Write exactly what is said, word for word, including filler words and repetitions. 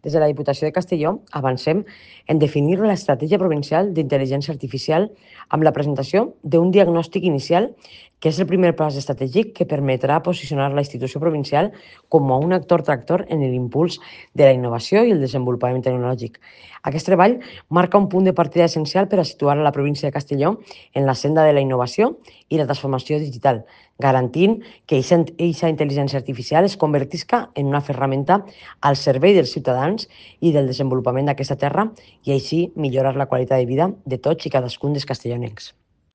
Des de la Diputació de Castelló avancem en definir l'estratègia provincial d'intel·ligència artificial amb la presentació d'un diagnòstic inicial que és el primer pas estratègic que permetrà posicionar la institució provincial com a un actor tractor en l'impuls de la innovació i el desenvolupament tecnològic. Aquest treball marca un punt de partida essencial per a situar la província de Castelló en la senda de la innovació i la transformació digital, garantint que aquesta intel·ligència artificial es convertisca en una ferramenta al servei dels ciutadans i del desenvolupament d'aquesta terra i així millorar la qualitat de vida de tots i cadascun dels castellonencs.